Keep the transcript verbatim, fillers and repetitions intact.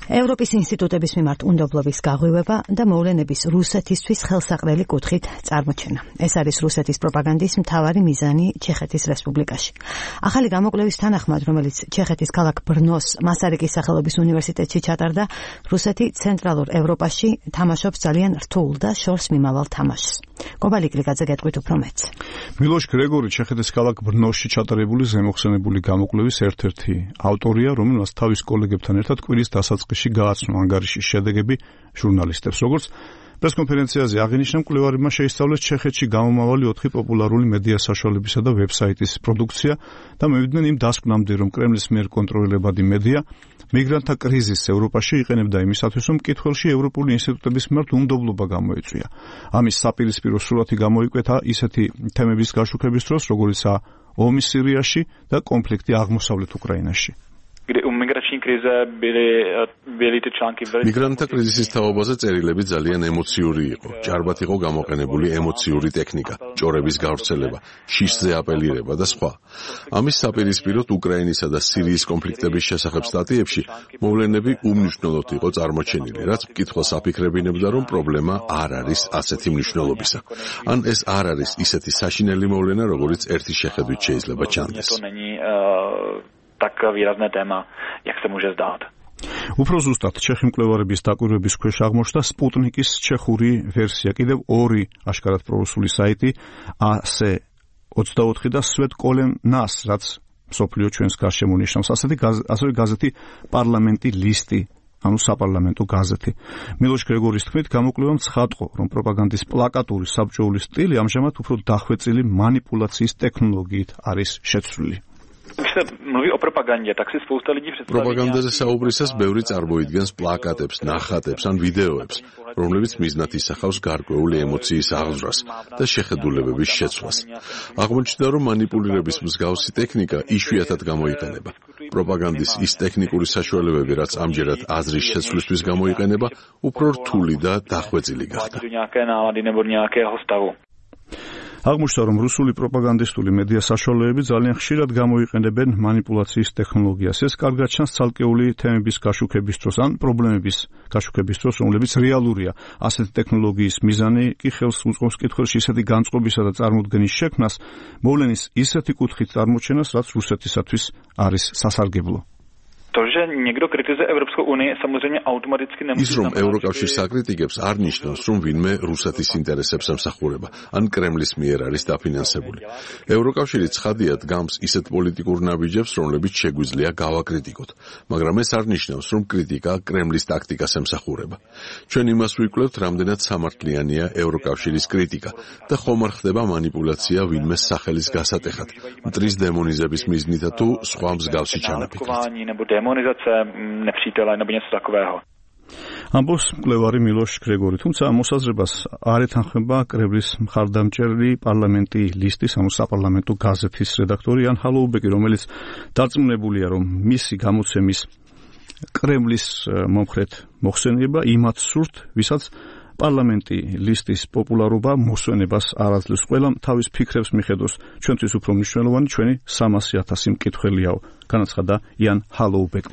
ევროპის ინსტიტუტების მიმართ უნდობლობის გაღვივება და მოვლენების რუსეთისთვის ხელსაყრელი კუთხით წარმოჩენა. ეს არის რუსეთის პროპაგანდის მთავარი მიზანი ჩეხეთის რესპუბლიკაში. ახალი გამოკვლევის თანახმად, რომელიც ჩეხეთის ქალაქ ბრნოს მასარიკის სახელობის უნივერსიტეტში ჩატარდა, რუსეთი ცენტრალურ ევროპაში თამაშობს ძალიან რთულ და შორს მიმავალ თამაშს. კობალი კლიკაძე გეტყვით უფრო მეტს. მილოშ გრეგორი ჩეხეთის ქალაქ ბრნოსში ჩატარებული ზემოხსენებული გამოკვლევის ერთ-ერთი ავტორია, რომელსაც თავის კოლეგებთან ერთად კვირის დასაწყისში გააცნო ანგარიშის შედეგები ჟურნალისტებს. როგორც პრესკონფერენციაზე აღინიშნა, მკვლევარებმა შეისწავლეს ჩეხეთში გამომავალი ოთხი პოპულარული მედია საშუალებისა და ვებსაიტის პროდუქცია და მივიდნენ იმ დასკვნამდე, რომ კრემლის მიერ კონტროლირებადი მედია მიგრანტთა კრიზისს ევროპაში იყენებდა იმისათვის, რომ მკითხველში ევროპული ინსტიტუტების მიმართ უნდობლობა გამოეწვია. ამის საპირისპირო სურათი გამოიკვეთა ისეთი თემების გაშუქების დროს, როგორიცაა ომი სირიაში და კონფლიქტი აღმოსავლეთ უკრაინაში. მიგრანტთა კრიზისის თაობაზე წერილები ძალიან ემოციური იყო. ჭარბად იყო გამოყენებული ემოციური ტექნიკა, ჭორების გავრცელება, შიშზე აპელირება და სხვა. ამის საპირისპიროდ უკრაინისა და სირიის კონფლიქტების შესახებ სტატიებში მოვლენები უმნიშვნელოდ იყო წარმოჩენილი, რაც მკითხველს აფიქრებინებდა, რომ პრობლემა არ არის ასეთი მნიშვნელობისა. ან ეს არ არის ისეთი საშინელი მოვლენა, როგორიც ერთი შეხედვით შეიძლება ჩანდეს. tak výrazné téma, jak se může zdát. უფრო ზუსტად, ჩეხი მკვლევარების დაკვირვების ქვეშ აღმოჩნდა სპუტნიკის ჩეხური ვერსია, კიდევ ორი აშკარად პრორუსული საიტი, ას ოცდაოთხი და სვეტკოლემ ნას, რაც მსოფლიო ჩვენს გარშემო ნიშნავს, ასეთი ასევე გაზეთი პარლამენტი ლისტი, ანუ საპარლამენტო გაზეთი. მილოშ გრეგორის თქმით, გამოკვლევამ ცხადყო, რომ პროპაგანდის პლაკატური საბჭოური სტილი ამჟამად უფრო დახვეწილი манипуляციის ტექნოლოგიით არის შეცვლილი. პროპაგანდაზე საუბრისას ბევრი წარმოიდგენს პლაკატებს, ნახატებს ან ვიდეოებს, რომლებიც მიზნად ისახავს გარკვეული ემოციის აღძვრას და შეხედულებების შეცვლას. აღმოჩნდა, რომ манипуლირების მსგავსი ტექნიკა იშვიათად გამოიყენება. პროპაგანდის ის ტექნიკური საშუალებები, რაც ამჯერად აზრის შეცვლისთვის გამოიყენება, უფრო რთული და დახვეწილი გახდა. აღმოჩნდა, რომ რუსული პროპაგანდისტული მედია საშუალებები ძალიან ხშირად გამოიყენებენ манипуляციის ტექნოლოგიას. ეს კარგად ჩანს ცალკეული თემების გაშუქების დროს ან პრობლემების გაშუქების დროს, რომლებიც რეალურია. ასეთი ტექნოლოგიის მიზანი კი ხელს უწყობს მკითხველში ისეთი განწყობისა და წარმოდგენის შექმნას, მოვლენის ისეთი კუთხით წარმოჩენას, რაც რუსეთისათვის არის სასარგებლო. ის, რომ ევროკავშირს აკრიტიკებს, არ ნიშნავს, რომ ვინმე რუსეთის ინტერესებს ემსახურება, ან კრემლის მიერ არის დაფინანსებული. ევროკავშირი ცხადიად გამს ისეთ პოლიტიკურ ნაბიჯებს, რომლებიც შეგვიძლია გავაკრიტიკოთ, მაგრამ ეს არ ნიშნავს, რომ კრიტიკა კრემლის ტაქტიკას ემსახურება. ჩვენ იმას ვიკვლევთ, რამდენად სამართლიანია ევროკავშირის კრიტიკა და ხომ არ ხდება манипуляცია ვინმეს სახელის გასატეხად, მტრის დემონიზების მიზნითა თუ სხვა მსგავსი ჩანაფიქრით. ამბობს მკვლევარი მილოშ გრეგორი, თუმცა მოსაზრებას არ ეთანხმება კრემლის მხარდამჭერი პარლამენტი ლისტის, ანუ საპარლამენტო გაზეთის რედაქტორი იან ჰალოუბეკი, რომელიც დარწმუნებულია, რომ მისი გამოცემის კრემლის მომხრედ მოხსენება იმათ სურთ, ვისაც პარლამენტი ლისტის პოპულარობა მოსვენებას არ აძლევს. ყველამ თავის ფიქრებს მიხედოს, ჩვენთვის უფრო მნიშვნელოვანი ჩვენი სამასი ათასი მკითხველიაო, განაცხადა იან ჰალოუბეკი.